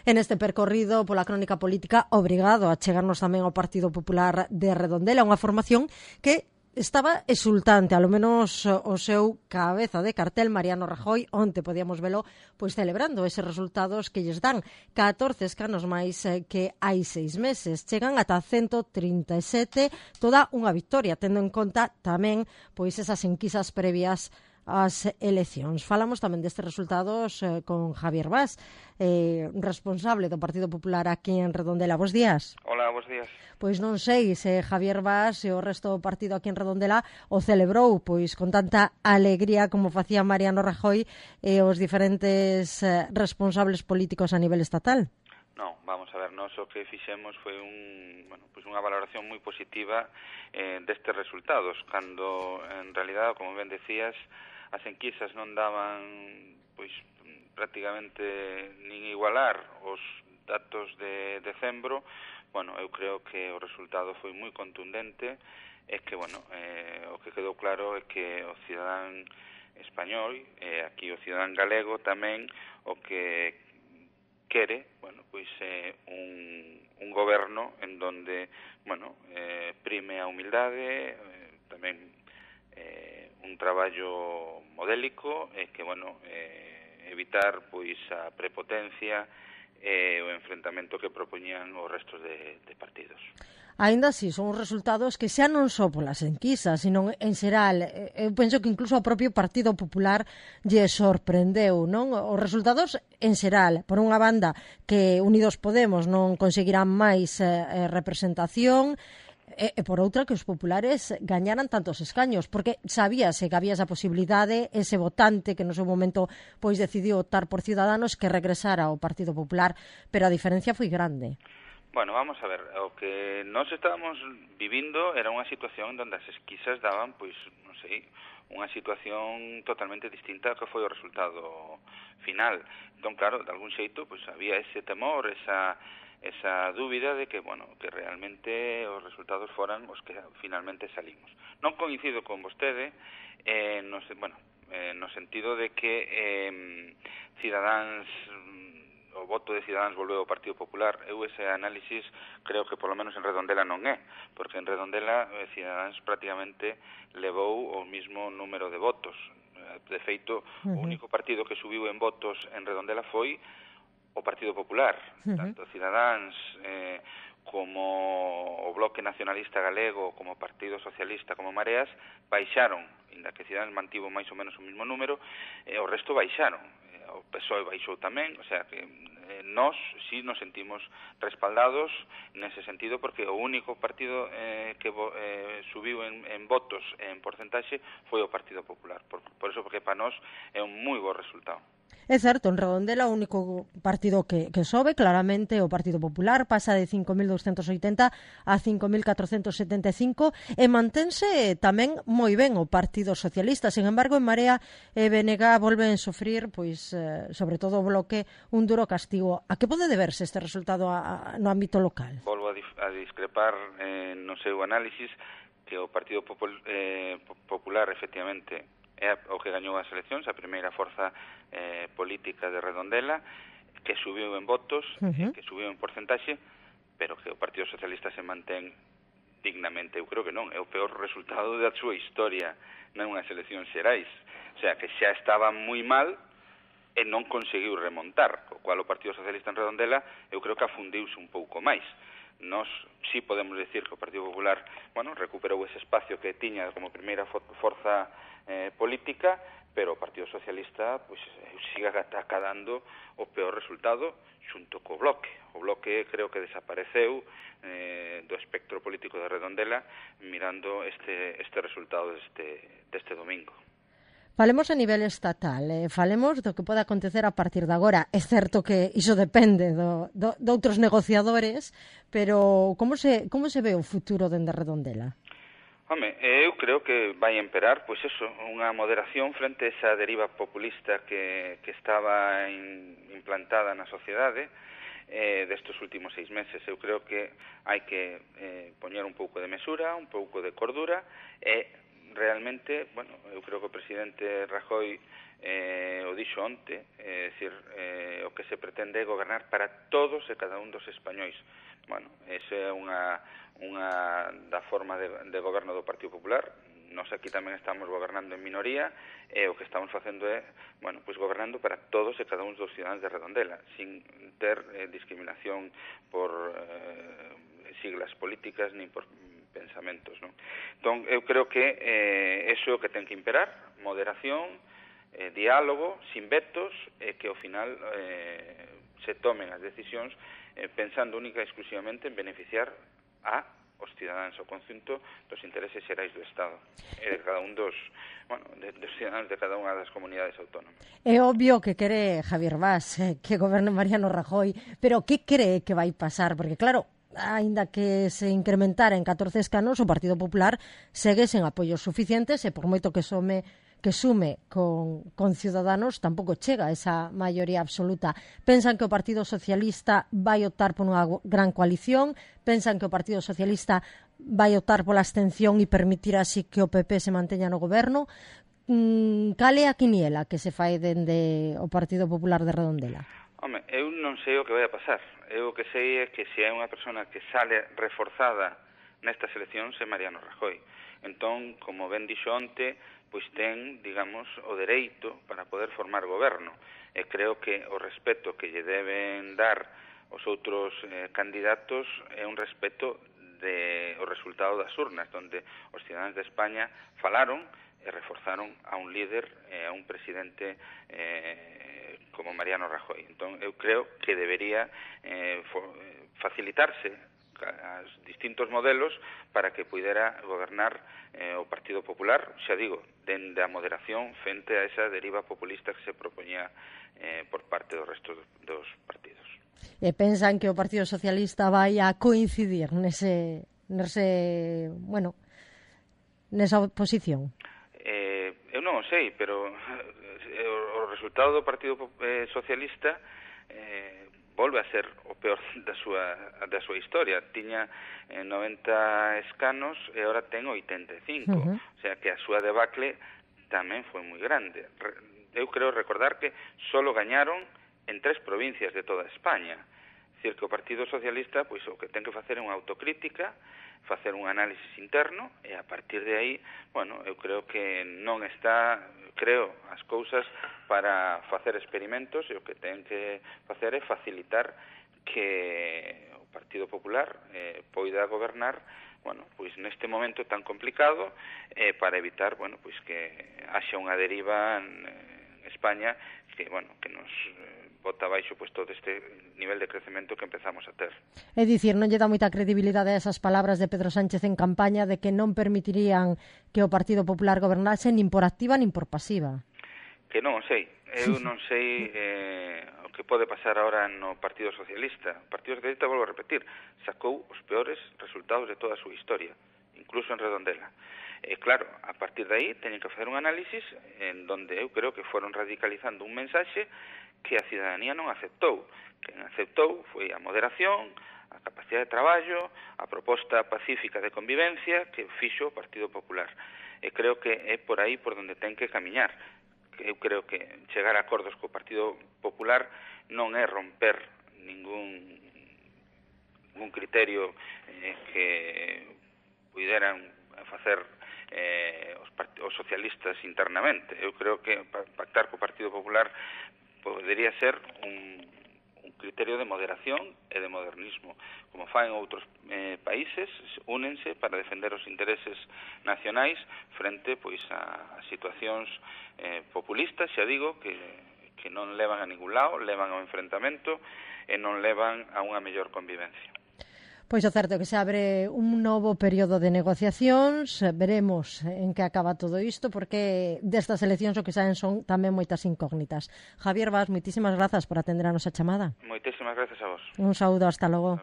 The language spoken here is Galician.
En este percorrido pola crónica política, obrigado a chegarnos tamén ao Partido Popular de Redondela, unha formación que estaba exultante, alo menos o seu cabeza de cartel, Mariano Rajoy, onte podíamos velo pois celebrando eses resultados que lles dan 14 escanos máis que hai 6 meses. Chegan ata 137, toda unha victoria, tendo en conta tamén pois esas enquisas previas ás eleccións. Falamos tamén destes resultados con Javier Bas, responsable do Partido Popular aquí en Redondela. Bos días. Hola, bos días. Pois non sei se Javier Bas e o resto do partido aquí en Redondela o celebrou pois con tanta alegría como facía Mariano Rajoy e os diferentes responsables políticos a nivel estatal. Non, vamos a ver, nós o que fixemos foi unha valoración moi positiva destes resultados, cando en realidad, como ben decías, as enquisas non daban pois prácticamente nin igualar os datos de decembro. Bueno, eu creo que o resultado foi moi contundente e que, o que quedou claro é que o cidadán español e aquí o cidadán galego tamén o que quere, pois un goberno en donde, prime a humildade, tamén un traballo modélico e que, evitar pois a prepotencia e o enfrentamento que propoñían os restos de partidos. Aínda así, son os resultados que xa non só polas enquisas, sino en xeral, eu penso que incluso ao propio Partido Popular lle sorprendeu, non? Os resultados en xeral, por unha banda que Unidos Podemos non conseguirán máis representación, e por outra que os populares gañaran tantos escaños, porque sabíase que había esa posibilidade, ese votante que no seu momento pois decidiu optar por Ciudadanos que regresara ao Partido Popular, pero a diferencia foi grande. Bueno, vamos a ver, o que nós estábamos vivindo era unha situación onde as esquisas daban, pois, non sei, unha situación totalmente distinta ao que foi o resultado final. Entón, claro, de algún xeito, pois había ese temor, esa dúbida de que, que realmente os resultados foran os que finalmente salimos. Non coincido con vostede, no sentido de que Cidadáns, o voto de Cidadáns volveu ao Partido Popular. Eu ese análisis creo que polo menos en Redondela non é, porque en Redondela Cidadáns prácticamente levou o mismo número de votos. De feito, o único partido que subiu en votos en Redondela foi o Partido Popular. Tanto Cidadáns como o Bloque Nacionalista Galego, como o Partido Socialista, como Mareas, baixaron, inda que Cidadáns mantivo máis ou menos o mesmo número, e o resto baixaron. O PSOE baixou tamén, o sea que nós sí nos sentimos respaldados nese sentido, porque o único partido que subiu en votos en porcentaxe foi o Partido Popular. Por eso, porque para nós é un moi bo resultado. É certo, en Redondela o único partido que sobe, claramente o Partido Popular, pasa de 5.280 a 5.475 e mantense tamén moi ben o Partido Socialista. Sin embargo, en Marea e BNG volven sofrir, pois, sobre todo o Bloque, un duro castigo. A que pode deberse este resultado no ámbito local? Volvo a discrepar no seu análisis, que o Partido Popular, efectivamente, é o que gañou as eleccións, a primeira forza política de Redondela, que subiu en votos, que subiu en porcentaxe, pero que o Partido Socialista se mantén dignamente. Eu creo que non, é o peor resultado da súa historia nunhas eleccións xerais. O sea, que xa estaba moi mal e non conseguiu remontar, co cual o Partido Socialista en Redondela eu creo que afundiuse un pouco máis. Nós sí podemos decir que o Partido Popular, recuperou ese espacio que tiña como primeira forza política, pero o Partido Socialista siga acadando o peor resultado xunto co Bloque. O Bloque creo que desapareceu do espectro político de Redondela mirando este resultado deste domingo. Falemos a nivel estatal, falemos do que pode acontecer a partir de agora. É certo que iso depende de outros negociadores, pero como se ve o futuro dende Redondela? Home, eu creo que vai emperar, pois eso, unha moderación frente a esa deriva populista que estaba implantada na sociedade destes últimos 6 meses. Eu creo que hai que poñer un pouco de mesura, un pouco de cordura e realmente, eu creo que o presidente Rajoy o dixo onte, é dicir, o que se pretende é gobernar para todos e cada un dos españois. Bueno, esa é unha da forma de goberno do Partido Popular. Nós aquí tamén estamos gobernando en minoría e o que estamos facendo é, bueno, pois gobernando para todos e cada un dos ciudadanos de Redondela, sin ter discriminación por siglas políticas nin por pensamentos, non? Entón, eu creo que eso é o que ten que imperar, moderación, diálogo, sin vetos, e que ao final se tomen as decisións pensando única e exclusivamente en beneficiar os cidadáns, o conxunto dos intereses xerais do Estado e de cada un dos cidadáns de cada unha das comunidades autónomas. É obvio que quere Javier Bas que goberne Mariano Rajoy, pero que cree que vai pasar? Porque claro, aínda que se incrementara en 14 escanos, o Partido Popular segue sen apoios suficientes e por moito que sume con Ciudadanos tampouco chega a esa maioría absoluta. Pensan que o Partido Socialista vai optar por unha gran coalición, pensan que o Partido Socialista vai optar pola abstención e permitir así que o PP se manteña no goberno. Cal é a quiniela que se fai dende o Partido Popular de Redondela? Home, eu non sei o que vai a pasar. Eu o que sei é que se hai unha persona que sale reforzada nestas eleccións é Mariano Rajoy. Entón, como ben dixo onte, pois ten, digamos, o dereito para poder formar goberno. E creo que o respeto que lle deben dar os outros candidatos é un respeto o resultado das urnas, onde os cidadáns de España falaron e reforzaron a un líder, a un presidente como Mariano Rajoy. Entón, eu creo que debería facilitarse as distintos modelos para que pudera gobernar o Partido Popular, xa digo, dende a moderación frente a esa deriva populista que se propoñía por parte do resto dos partidos. E pensan que o Partido Socialista vai a coincidir nesa oposición? Eu non o sei, pero o resultado do Partido Socialista volve a ser o peor da súa historia. Tiña 90 escanos e agora ten 85. O sea que a súa debacle tamén foi moi grande. Eu creo recordar que solo gañaron en 3 provincias de toda España. É dicir, que o Partido Socialista pois o que ten que facer é unha autocrítica, facer un análisis interno e a partir de aí, bueno, eu creo que non está, as cousas para facer experimentos e o que ten que facer é facilitar que o Partido Popular poida gobernar, bueno, pois neste momento tan complicado para evitar, bueno, pois que haxa unha deriva en España que, bueno, que nos bota abaixo pois todo este nivel de crecemento que empezamos a ter. É dicir, non lle dá moita credibilidade a esas palabras de Pedro Sánchez en campaña de que non permitirían que o Partido Popular gobernase nin por activa nin por pasiva. Que non o sei. Eu non sei o que pode pasar ahora no Partido Socialista. O Partido Socialista, volvo a repetir, sacou os peores resultados de toda a súa historia, incluso en Redondela. Claro, a partir de aí teñen que facer un análisis en donde eu creo que foron radicalizando un mensaxe que a cidadanía non aceptou. Quen aceptou foi a moderación, a capacidade de traballo, a proposta pacífica de convivencia que fixo o Partido Popular. E creo que é por aí por donde ten que camiñar. Eu creo que chegar a acordos co Partido Popular non é romper ningún criterio que puderan facer os socialistas internamente. Eu creo que pactar co Partido Popular podería ser un criterio de moderación e de modernismo. Como fan outros países, únense para defender os intereses nacionais frente pois a situacións populistas, xa digo, que non levan a ningún lado, levan ao enfrentamento e non levan a unha mellor convivencia. Pois o certo é que se abre un novo período de negociacións, veremos en que acaba todo isto, porque destas eleccións o que saen son tamén moitas incógnitas. Javier Bas, moitísimas grazas por atender a nosa chamada. Moitísimas grazas a vos. Un saúdo, hasta logo.